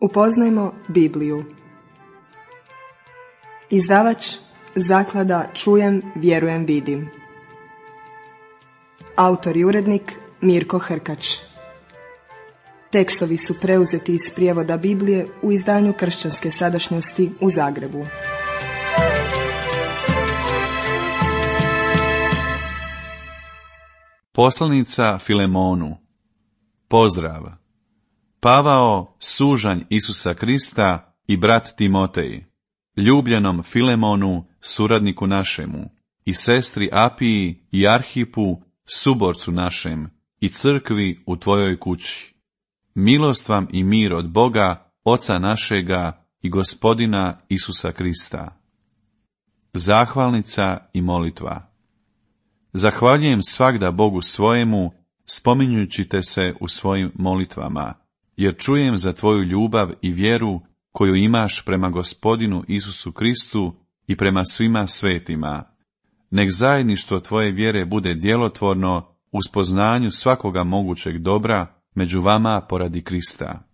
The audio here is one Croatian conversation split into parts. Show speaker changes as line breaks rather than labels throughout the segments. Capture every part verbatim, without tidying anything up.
Upoznajmo Bibliju. Izdavač Zaklada Čujem, vjerujem, vidim. Autor i urednik Mirko Hrkač. Tekstovi su preuzeti iz prijevoda Biblije u izdanju Kršćanske sadašnjosti u Zagrebu.
Poslanica Filemonu. Pozdrav. Pavao, sužanj Isusa Krista i brat Timotej, ljubljenom Filemonu, suradniku našemu, i sestri Apiji i Arhipu, suborcu našem, i crkvi u tvojoj kući. Milost vam i mir od Boga, Oca našega i Gospodina Isusa Krista. Zahvalnica i molitva. Zahvaljujem svagda Bogu svojemu, spominjući te se u svojim molitvama, jer čujem za tvoju ljubav i vjeru koju imaš prema Gospodinu Isusu Kristu i prema svima svetima. Nek zajedništvo tvoje vjere bude djelotvorno u spoznanju svakoga mogućeg dobra među vama poradi Krista.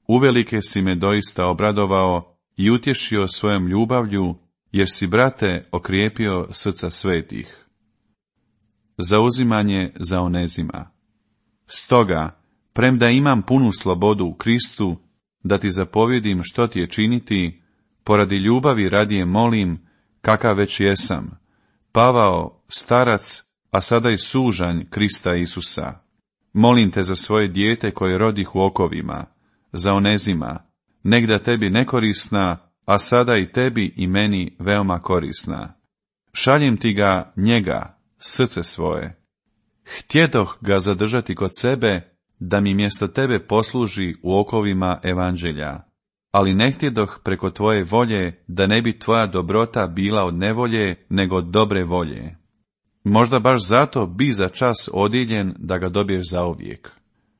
Uvelike si me doista obradovao i utješio svojom ljubavlju, jer si, brate, okrijepio srca svetih. Zauzimanje za Onezima. Stoga, premda imam punu slobodu u Kristu, da ti zapovjedim što ti je činiti, poradi ljubavi radije molim, kakav već jesam, Pavao, starac, a sada i sužanj Krista Isusa. Molim te za svoje dijete koje rodih u okovima, za Onezima, negda tebi nekorisna, a sada i tebi i meni veoma korisna. Šaljem ti ga, njega, srce svoje. Htjedoh ga zadržati kod sebe, da mi mjesto tebe posluži u okovima evanđelja, ali ne htjedoh preko tvoje volje, da ne bi tvoja dobrota bila od nevolje, nego od dobre volje. Možda baš zato bi za čas odjeljen da ga dobiješ zauvijek.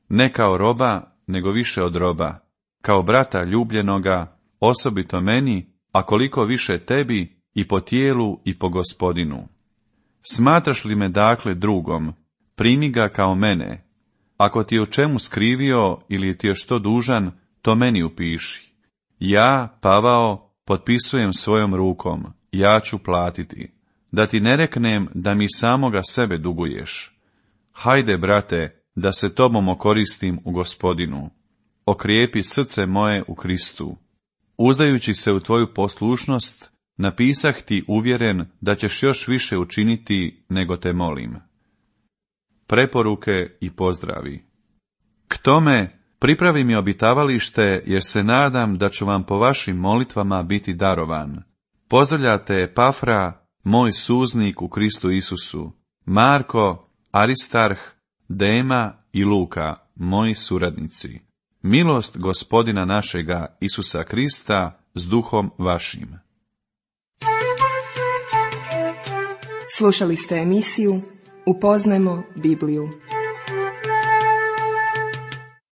Ne kao roba, nego više od roba, kao brata ljubljenoga, osobito meni, a koliko više tebi, i po tijelu i po Gospodinu. Smatraš li me dakle drugom, primi ga kao mene. Ako ti je u čemu skrivio ili ti je što dužan, to meni upiši. Ja, Pavao, potpisujem svojom rukom, ja ću platiti. Da ti ne reknem da mi samoga sebe duguješ. Hajde, brate, da se tobom okoristim u Gospodinu. Okrijepi srce moje u Kristu. Uzdajući se u tvoju poslušnost, napisah ti uvjeren da ćeš još više učiniti nego te molim. Preporuke i pozdravi. K tome, pripravi mi obitavalište, jer se nadam da ću vam po vašim molitvama biti darovan. Pozdravljate Epafra, moj suznik u Kristu Isusu, Marko, Aristarh, Dema i Luka, moji suradnici. Milost Gospodina našega Isusa Krista s duhom vašim.
Slušali ste emisiju Upoznajmo Bibliju.